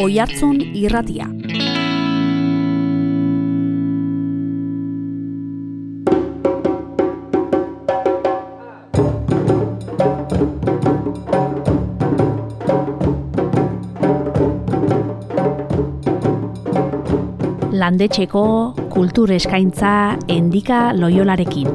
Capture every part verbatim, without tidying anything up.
Oihartzun Irratia. Landetxeko kultur eskaintza Endika Loiolarekin.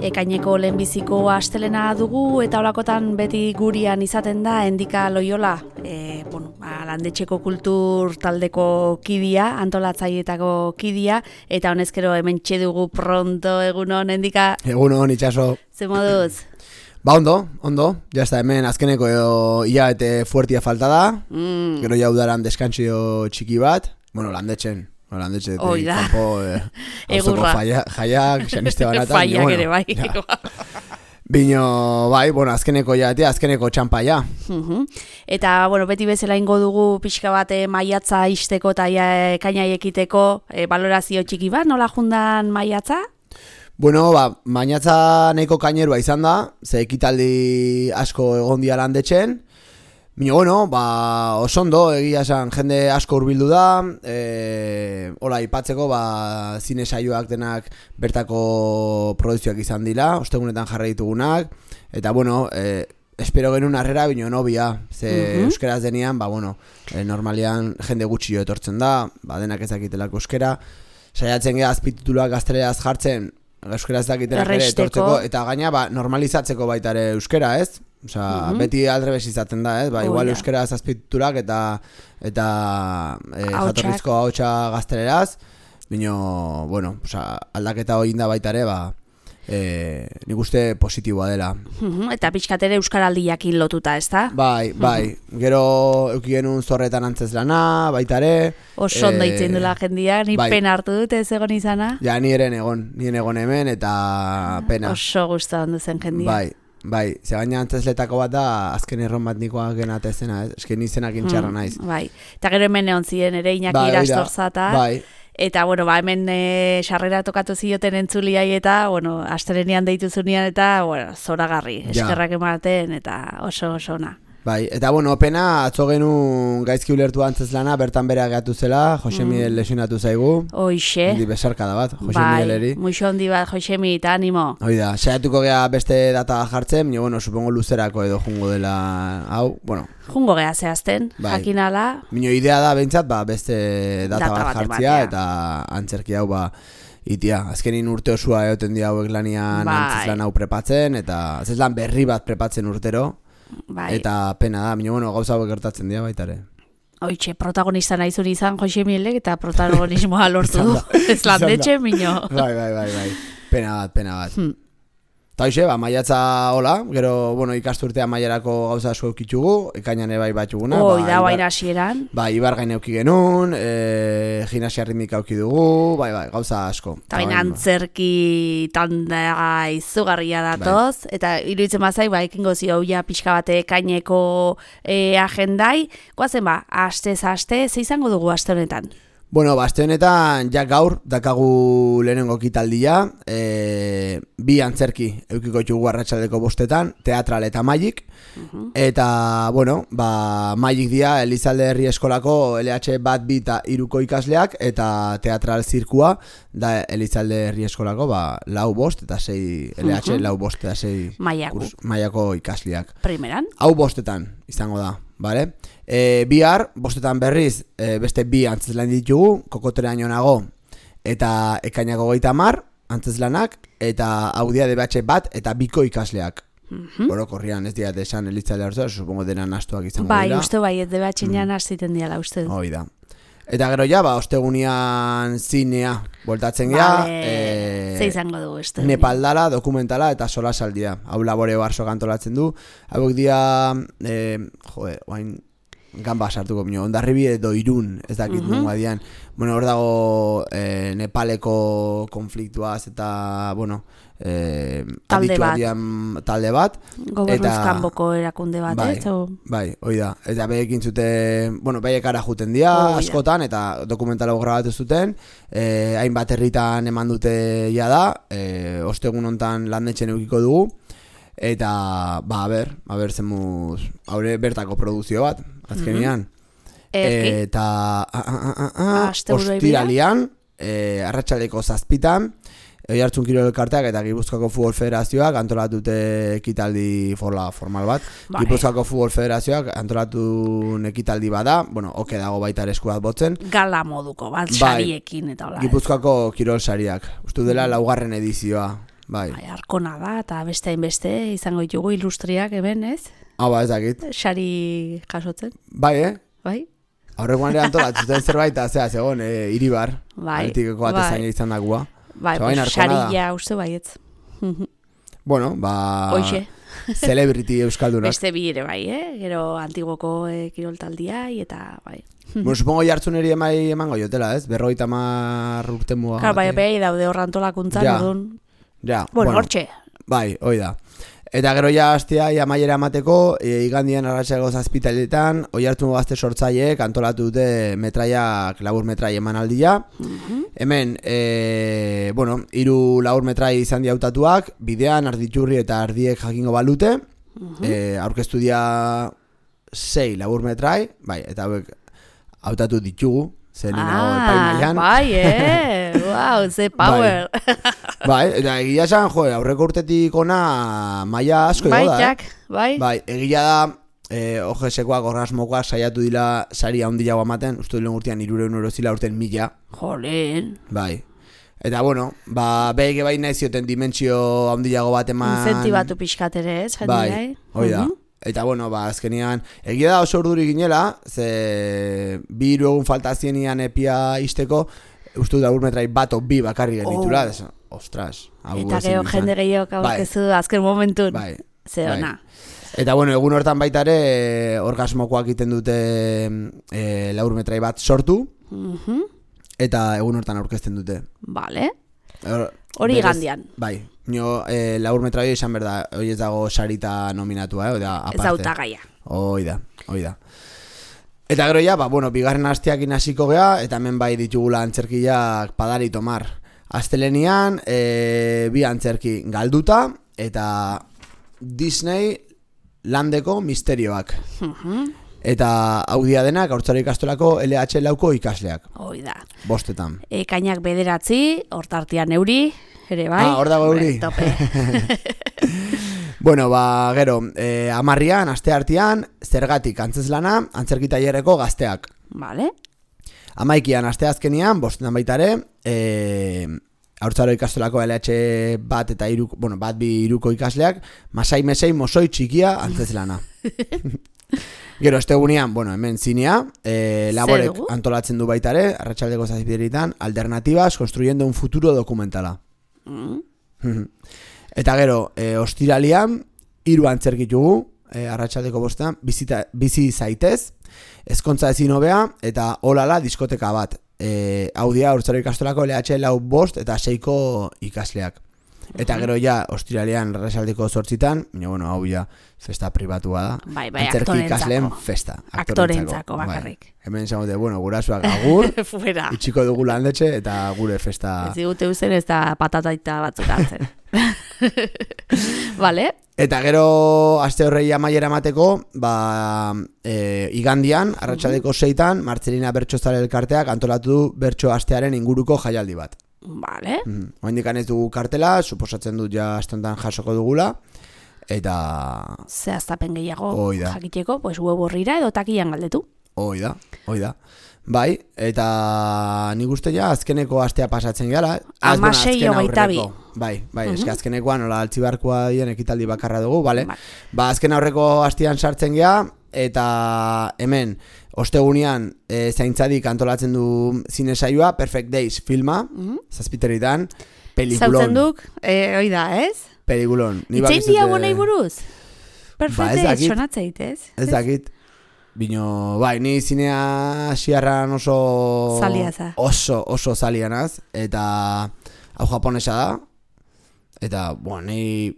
Ekaineko lehenbiziko astelena dugu eta holakotan beti gurian izaten da Endika Loiola, e, bueno, landetxeko kultur taldeko kidia, antolatzaileetako kidia, eta honezkero hemen txedugu pronto, egunon, Endika? Egunon, itxaso. Ze moduz? Ba, ondo, ondo, jazta hemen azkeneko hilabete fuertia falta da, mm. gero ja udaran deskantzio txiki bat, bueno, landetxen. Landetxe, kanpo, eh, egurra. Jaiak, Xaniste banatan. Faiak ere, bai. Bino, bai, bueno, azkeneko jatea, azkeneko txampa ja. Uh-huh. Eta, bueno, beti bezala ingo dugu pixka bat maiatza isteko eta ekaina ekiteko e, balorazio txiki bat, nola jundan maiatza? Bueno, ba, maiatza nahiko kainerua izan da, ze ekitaldi asko egon dia landetxen. Bino, bueno, ba, osondo, egia esan, jende asko hurbildu da, e, hola, ipatzeko, ba, zine saioak denak bertako produzioak izan dira, ostegunetan jarra ditugunak, eta, bueno, e, espero genuen harrera, bino, nobia, ze uh-huh. euskeraz denean, ba, bueno, e, normalian jende gutxi jo etortzen da, ba, denak ezakitelako euskera, saiatzen geha azpitituluak gazteleraz jartzen, euskeraz dakitelak ere etortzeko, eta gaina, ba, normalizatzeko baita ere euskera, ez? Osa, mm-hmm. beti aldrebes izaten da, ez? Ba, oh, igual yeah. euskera azpititurak eta eta e, jatorrizko ahotsa gazteleraz, bino, bueno, osa, aldaketa hori da baita ere, ba, e, nik uste positiboa dela. Mm-hmm. Eta pixkatere euskaraldiakin lotuta, ez da? Bai, bai, mm-hmm. gero euki genuen zorretan antzezlana, baita ere. Oso ondo itzen dula jendia, ni bai. Pena hartu dut ez egon izana. Ja, ni eren egon, ni egon hemen eta pena. Oso gusta ondo zen jendia. Bai. Bai, ze gaina antzesletako bat da, azken erron bat nikoa genate zena, ez? Esken izenak intxarra naiz. Mm, bai, eta gero hemen egon ziren ere Iñaki bai, Irastorzata. Bai. Eta, bueno, ba, hemen e, sarrera tokatu zioten entzuliai eta, bueno, astelenian deitu zunean eta, bueno, zoragarri, eskerrak ematen eta oso oso ona. Bai, eta bueno, pena, atzo genuen gaizki ulertu antzezlana, bertan bera gehatu zela, Jose Miguel mm. lesionatu zaigu. Hoixe. Handi besarka da bat, Jose bai, Migueleri. Bai, muixo handi bat, Jose Miguel, eta animo. Hoi da, saiatuko geha beste data jartzen, baina, bueno, supongo luzerako edo jungo dela, hau, bueno. Jungo geha zehazten, bai. Jakinala. Mino idea da, behintzat, ba, beste data, data bat jartzia, eta antzerki hau, ba, itia, azkenin urte osua egoten di hauek lanian bai. Antzeslan hau prepatzen, eta antzeslan berri bat prepatzen urtero. Bai. Eta pena da, minio, bueno, gauza hauek gertatzen dira baitare. Oitxe, protagonista nahi zuen izan Jose Mielek eta protagonismoa lortu du. Ez landetxe, minio. Bai, bai, bai, bai. Pena bat, pena bat. Hmm. Ta hoxe, ba, maiatza hola, gero, bueno, ikasturtea maiarako gauza asko eukitxugu, ekainan ebai batxuguna. Oi, ba, da, baina hasieran. Ba, ibar gain euki genuen, e, gimnasia ritmika euki dugu, bai, bai, gauza asko. Ta baina antzerki tanda izugarria datoz, bai. Eta iruditzen bazai, ba, ekingo zio ja pixka bate ekaineko e, agendai, goazen ba, astez aste, ze izango dugu aste honetan? Bueno, ba, aste honetan, ja gaur, dakagu lehenengo kitaldia, e, bi antzerki eukiko txugu arratsaldeko bostetan, teatral eta Magic, uh-huh. eta, bueno, ba, Magic dia Elizalde Herri Eskolako L H bat bi eta iruko ikasleak, eta teatral zirkua, da Elizalde Herri Eskolako, ba, lau bost, eta sei, L H uh-huh. lau bost, eta sei Maiako. Kurs, Maiako ikasleak. Primeran? Hau bostetan, izango da. Vale? E, bihar, bostetan berriz, e, beste bi antzeslan ditugu, kokoteraino nago, eta ekainako goita mar, antzeslanak, eta audia D B H bat, eta biko ikasleak. Mm-hmm. Orokorrian ez diat esan elitzalea hartu, supongo denan astuak izango bai, dira. Bai, uste bai, ez D B H-nean mm. aziten diala, uste. Hoi da. Eta gero ja, ba, ostegunian zinea voltatzen gea. Vale. E, Ze izango dugu, uste. Nepaldala, dokumentala eta sola saldia. Hau laboreo barso kantolatzen du. Hauek dia, e, joe, oain... ganba sartuko minio, Hondarribi edo Irun, ez dakit mm -hmm. nunga dian. Bueno, hor dago eh, Nepaleko konfliktuaz eta, bueno, eh, talde bat. Dian, talde bat. Gobernuz kanboko erakunde bat, bai, ez? O... Bai, hoi da. Eta behekin zute, bueno, behek ara juten dia, askotan, eta dokumentala grabatu zuten, eh, hainbat herritan eman dute ja da, eh, ostegun hontan landetxen eukiko dugu, eta, ba, a ber, a ber, zemuz, haure bertako produzio bat, azkenian. Mm -hmm. Eta, a, a, a, a, ostiralian, e, arratsaldeko zazpitan, Oiartzun Kirol Elkarteak eta Gipuzkoako Futbol Federazioak antolatute ekitaldi forla formal bat. Bai. Gipuzkoako Futbol Federazioak antolatu ekitaldi bada, bueno, oke dago baita ere esku bat botzen. Gala moduko bat, sariekin eta hola. Gipuzkoako Kirol sariak, uste dela laugarren edizioa. Bai. Bai, arkona da, eta beste hainbeste izango ditugu ilustriak hemen, ez? Ah, ba, ez dakit. Sari jasotzen. Bai, eh? Bai. Aurrekoan ere antolatzen zerbait, zera, zegoen, e, Iribar. Bai. Altikeko bat bai. ezain izan dagua. Bai, pues, sarilla uste baietz. Bueno, ba... Oixe. Celebrity euskaldunak. Beste bi ere bai, eh? Gero antigoko eh, kiroltaldia eta bai. Bueno, supongo jartzuneri emai emango jotela, ez? Berroita mar urte muga. Claro, bai, bai, daude horrantolakuntzan, ja. Odun. Ja, bueno, hortxe. Bai, hoi da. Eta gero ja hastea ja maiera emateko, e, igandian arratsaleko zazpitaletan, Oiartzungo gazte sortzaileek antolatu dute metraiak, labur metrai emanaldia. Mm-hmm. Hemen, e, bueno, hiru labur metrai izan di hautatuak, bidean Arditurri eta Ardiek jakingo balute. Mm-hmm. e, aurkeztu dia sei labur metrai, bai, eta hauek hautatu ditugu. Zer ah, bai, eh? Wow, ze power. Bai, bai, eta egia esan, jo, aurreko urtetik ona maila asko bai, ego da, Jack, eh? Bai, bai. Egia da, eh, ojesekoak, orgasmokoak saiatu dila sari handiago amaten, uste duen urtean irureun euro zila urten mila. Jolen. Bai. Eta bueno, ba, behike bai nahi zioten dimentsio handiago bat eman... Inzentibatu pixkatere, ez? Bai, hoi da. Eta bueno, ba, azkenian, egia da oso urduri ginela, ze bi hiru egun falta zienian epia isteko, uste da urmetrai bat o bi bakarri genitula, oh. Ostras. Eta gero jende gehiago aurkezu bai. Azken momentun, bai. Ze ona. Bai. Eta bueno, egun hortan baita ere, orgasmokoak egiten dute e, laurmetrai bat sortu, mm-hmm. Eta egun hortan aurkezten dute. Vale. Hori gandian. Bai. Nio, eh, laur metraio izan berda, hoi ez dago sarita nominatua, eh, oida, aparte. Ez autagaia. Hoi da, hoi da. Eta gero ja, ba, bueno, bigarren hastiakin hasiko gea, eta hemen bai ditugula antzerkiak Padari Tomar. Astelenian, eh, bi antzerki galduta, eta Disney landeko misterioak. Uh-huh. Eta hau dia denak, Haurtzaro ikastolako L H lauko ikasleak. Hoi da. Bostetan. E, kainak bederatzi, hortartian euri, ere bai. Ah, hor dago euri. Tope. Bueno, ba, gero, eh, amarrian, aste artean, zergatik antzeslana, antzerki tailerreko gazteak. Vale. Amaikian, aste azkenian, bostetan baitare, eh, Haurtzaro ikastolako L H bat eta iru, bueno, bat bi iruko ikasleak, masai mesei mosoi txikia antzeslana. Gero, ostegunean, bueno, hemen zinea, eh, laborek antolatzen du baitare, arratsaldeko zazpideritan, alternatibas, construyendo un futuro dokumentala. Mm. Eta gero, eh, ostiralian, hiru antzerkitugu, eh, arratsaldeko bostean, bizita, bizi zaitez, ezkontza ezin hobea, eta olala diskoteka bat. Eh, hau dia, Haurtzaro ikastolako L H lau bost eta seiko ikasleak. Eta gero ja, ostiralean arratsaldeko zortzitan, bueno, hau ja, festa pribatua da. Bai, bai, antzerki ikasleen festa. Aktorentzako bakarrik. Bai. Hemen zamote, bueno, gurasuak agur, fuera. Itxiko dugu landetxe eta gure festa... Ez digute uzen ez da patataita batzuk hartzen. Vale. Eta gero, aste horrei amaiera mateko, ba, e, igandian, arratsaldeko seitan, Martzelina Bertxozale elkarteak antolatu du bertso astearen inguruko jaialdi bat. Vale. Mm. Oindikan ez dugu kartela, suposatzen dut ja astentan jasoko dugula, eta... Zehaztapen gehiago jakiteko, pues web horrira edo takian galdetu. Hoi da, hoi da. Bai, eta nik uste ja azkeneko astea pasatzen gara. Amasei hogeita bi. Bai, bai, uh-huh. Eske azkenekoan nola altzibarkoa dien ekitaldi bakarra dugu, bale? Bai. Ba, azken aurreko astean sartzen gea, eta hemen, ostegunean e, zaintzadik antolatzen du zinesaioa, Perfect Days filma, uh-huh. Zazpiteritan, pelikulon. Zautzen duk, e, oi da, ez? Pelikulon. Itzein dia bonei buruz? Perfect ba, Days, sonatzeit, ez? Ez dakit. Bino, bai, ni zinea asiarran oso... Zalia za. Oso, oso zalianaz. Eta hau japonesa da. Eta, bueno, ni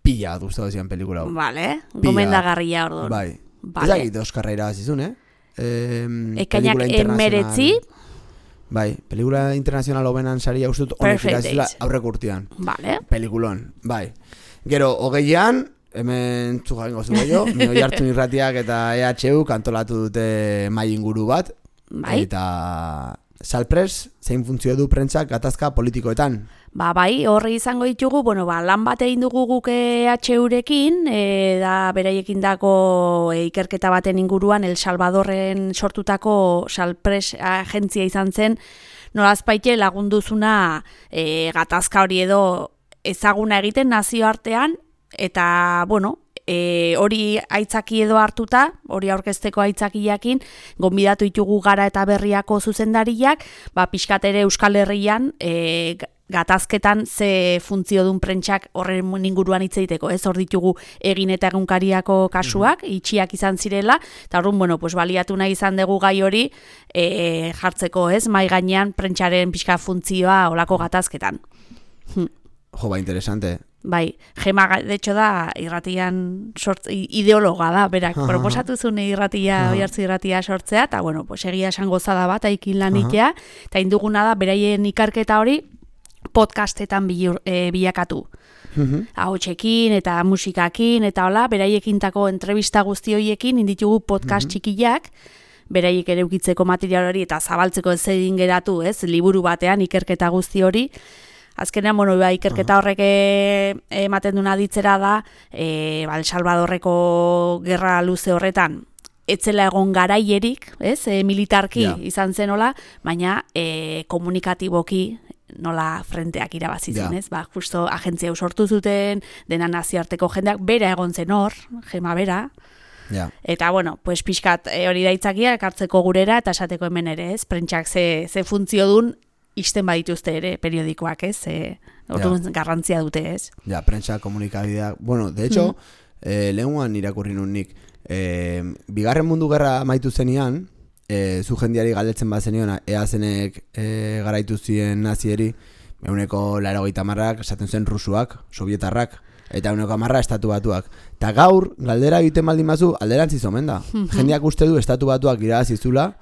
pila gustatu zian pelikula hau. Vale, gomendagarria orduan. Bai. Vale. Ezagit Oskarra irabazizun, eh? Eh, Ekainak emeretzi. Bai, pelikula internazional hobenan saria ustut honek irabazizula aurrek urtean. Vale. Pelikulon, bai. Gero, hogeian, hemen txugarengo zuko jo, Oi Hartzun Irratiak eta E H U kantolatu dute mai inguru bat. Bai. Eta Salpres, zein funtzio du prentsak gatazka politikoetan. Ba, bai, horri izango ditugu, bueno, ba, lan bat egin dugu guk E H U-rekin, e, da beraiekin dako e, ikerketa baten inguruan El Salvadorren sortutako Salpres agentzia izan zen, nolazpaite lagunduzuna e, gatazka hori edo ezaguna egiten nazioartean, eta, bueno, E, hori aitzaki edo hartuta, hori aurkezteko aitzakiakin, gonbidatu ditugu Gara eta Berriako zuzendariak, ba, pixkat ere Euskal Herrian e, gatazketan ze funtzio dun prentsak horren inguruan hitz egiteko, ez hor ditugu Egin eta Egunkariako kasuak, mm-hmm. itxiak izan zirela, eta horren, bueno, pues, baliatu nahi izan dugu gai hori e, jartzeko, ez, mai gainean prentsaren pixka funtzioa olako gatazketan. Jo, ba, interesante. Bai, Gema, de hecho da, irratian sort, ideologa da, berak, uh-huh. proposatu zuen irratia, uh-huh. oihartzu irratia sortzea, eta, bueno, pues, egia esan gozada bat, aikin lanitea, eta uh-huh. induguna da, beraien ikarketa hori, podcastetan bilur, e, bilakatu. Uh-huh. Ahotsekin eta musikakin, eta hola, beraiekintako entrevista guzti horiekin, inditugu podcast uh-huh. txikiak, beraiek ere ukitzeko material hori, eta zabaltzeko ez egin geratu, ez, liburu batean, ikerketa guzti hori. Azkenean, bueno, ba, ikerketa horrek ematen duna ditzera da, e, ba, El Salvadorreko gerra luze horretan, etzela egon garaierik, ez, e, militarki yeah. izan zen hola, baina e, komunikatiboki nola frenteak irabazitzen, yeah. ez? Ba, justo agentzia sortu zuten, dena nazioarteko jendeak, bera egon zen hor, Gema bera, yeah. eta, bueno, pues pixkat e, hori daitzakia, ekartzeko gurera, eta esateko hemen ere, ez, prentsak ze, ze funtzio dun, isten badituzte ere periodikoak, ez? E, orduan ja. garrantzia dute, ez? Ja, prentsa, komunikabideak. Bueno, de hecho, mm. eh, lehenguan irakurri nun nik, eh, bigarren mundu gerra maitu zenian, eh, zu jendiari galdetzen bat zenion, ea zenek eh, garaitu ziren nazieri, euneko laurogeita hamarrak esaten zen rusuak, sovietarrak, eta euneko hamarra estatu batuak. Eta gaur, galdera egiten baldin bazu, alderantziz omen da. Mm-hmm. Jendeak uste du estatu batuak irabazizula,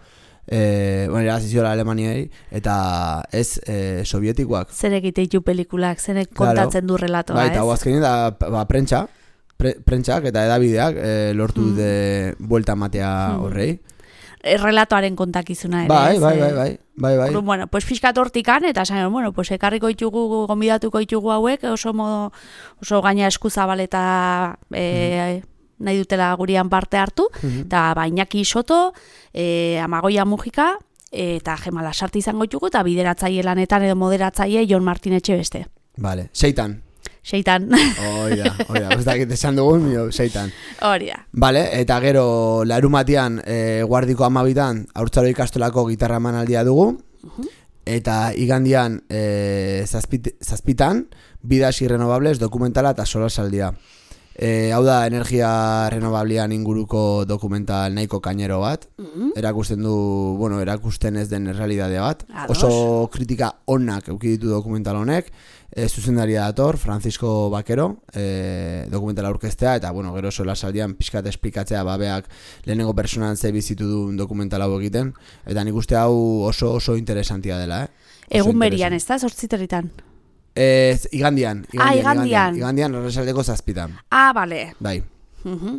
Eh, bueno, iraziziola Alemaniei, eta ez eh, sovietikoak. Zerek iteitu pelikulak, zerek kontatzen claro. du relatoa, ba, ez? Eta guazkenin da, ba, prentsa, pre, prentsak eta edabideak eh, lortu mm. de buelta matea mm. horrei. Relatoaren kontakizuna ere, bai, ez? Bai, bai, bai, bai, bai. Bueno, pues fiskat hortikan, eta zain, bueno, pues ekarriko ditugu, gonbidatuko ditugu hauek, oso modo, oso gaina eskuzabal eta... E, mm. nahi dutela gurian parte hartu, eta mm-hmm. Bainaki Soto, e, Amagoia Mujika, e, eta Gema Lasarte izango ditugu, eta bideratzaile lanetan edo moderatzaile Jon Martin Etxebeste. Vale, seitan. Seitan. Oida, oida, ez dakit esan dugun, mio, seitan. Hori da. Vale, eta gero, larumatian, e, guardiko amabitan, Haurtzaro ikastolako gitarra emanaldia dugu, uh-huh. eta igandian, e, zazpit, zazpitan, Bidas Irrenovables dokumentala eta solasaldia. E, hau da, energia renovablean inguruko dokumental nahiko kainero bat. Mm-hmm. Erakusten du, bueno, erakusten ez den realidade bat. Ados. Oso kritika onak eukiditu dokumental honek. E, zuzendaria dator, Francisco Bakero, e, dokumentala aurkeztea, eta, bueno, gero sola saldian pixkat esplikatzea babeak lehenengo personan ze bizitu duen dokumental hau egiten. Eta nik uste hau oso oso interesantia dela, eh? Egun berian, ez da, zortziterritan? Ez, igandian, igandian, ah, igandian. igandian, igandian arrasaldeko zazpitan. Ah, bale. Bai. Uh-huh.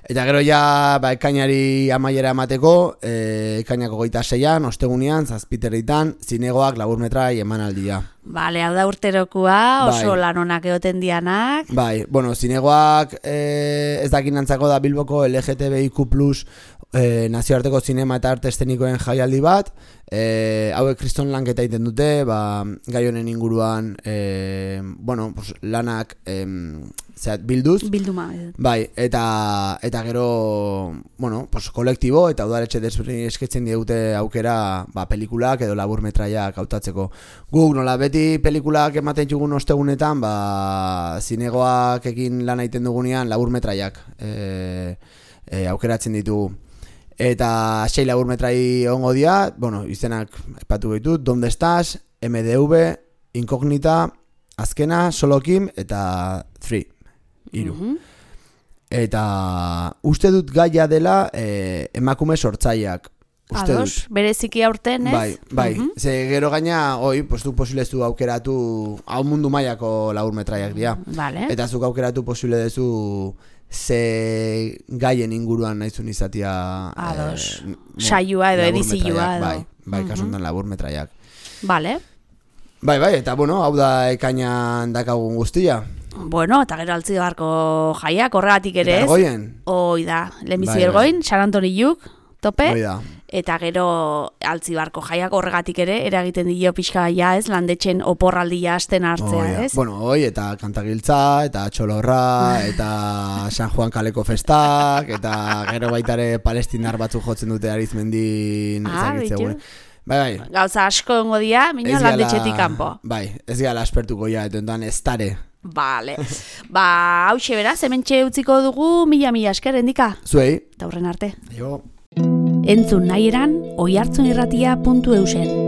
Eta gero ja, ba, ekainari amaiera emateko, e, ekainako goita seian, ostegunean, zazpiterritan, zinegoak laburmetrai emanaldia. Bale, hau da urterokua, oso bai. Lan onak egoten dianak. Bai, bueno, zinegoak e, ez dakinantzako da Bilboko L G T B I Q plus, E, nazioarteko zinema eta arte estenikoen jaialdi bat, e, hauek kriston lanketa egiten dute, ba, gai honen inguruan e, bueno, pues, lanak e, zeat, bilduz Bilduma, bai, eta, eta gero bueno, pues, kolektibo eta udaletxe desberdin esketzen digute aukera ba, pelikulak edo laburmetraiak hautatzeko. Guk nola beti pelikulak ematen dugun ostegunetan, ba, zinegoak egin lan egiten dugunean laburmetraiak e, e, aukeratzen ditugu. Eta sei laburmetrai ongo dia, bueno, izenak epatu ditut, Donde estás, M D V, Incognita, azkena, Solo Kim eta Three, hiru. Mm-hmm. Eta uste dut gaia dela eh, emakume sortzaileak. Uste Ados, dut. bereziki aurten, ez? Bai, bai. Uh-huh. Ze gero gaina, oi, pues du posible zu aukeratu hau mundu mailako laburmetraiak dira. Vale. Eta zuk aukeratu posible dezu ze gaien inguruan naizun izatia Ados. Eh, saioa edo edizioa edo. Bai, bai, uh-huh. kasuntan laburmetraiak. Vale. Bai, bai, eta bueno, hau da ekainan dakagun guztia. Bueno, eta gero altzi barko jaiak horregatik ere ez. Eta ergoien. Hoi da, lehenbizi Bai, ergoin, San Antoni Juk, tope. Hoi da. Eta gero altzibarko jaiak horregatik ere, eragiten dio pixka ja ez, landetxen oporraldia hasten hartzea, Oh, ez? Bueno, hoi, eta kantagiltza, eta txolorra, eta San Juan kaleko festak, eta gero baitare palestinar batzuk jotzen dute Arizmendin, Ah, ezagitze. Bai, bai. Gauza asko ongo dia, mina landetxetik kanpo. Bai, ez gara aspertuko ja, eta entan ez tare. Vale. Ba, hause beraz, hementxe utziko dugu, mila-mila esker, endika. Zuei. Eta horren arte. Jo. Entzun nahi eran, oihartzunirratia puntu eusen.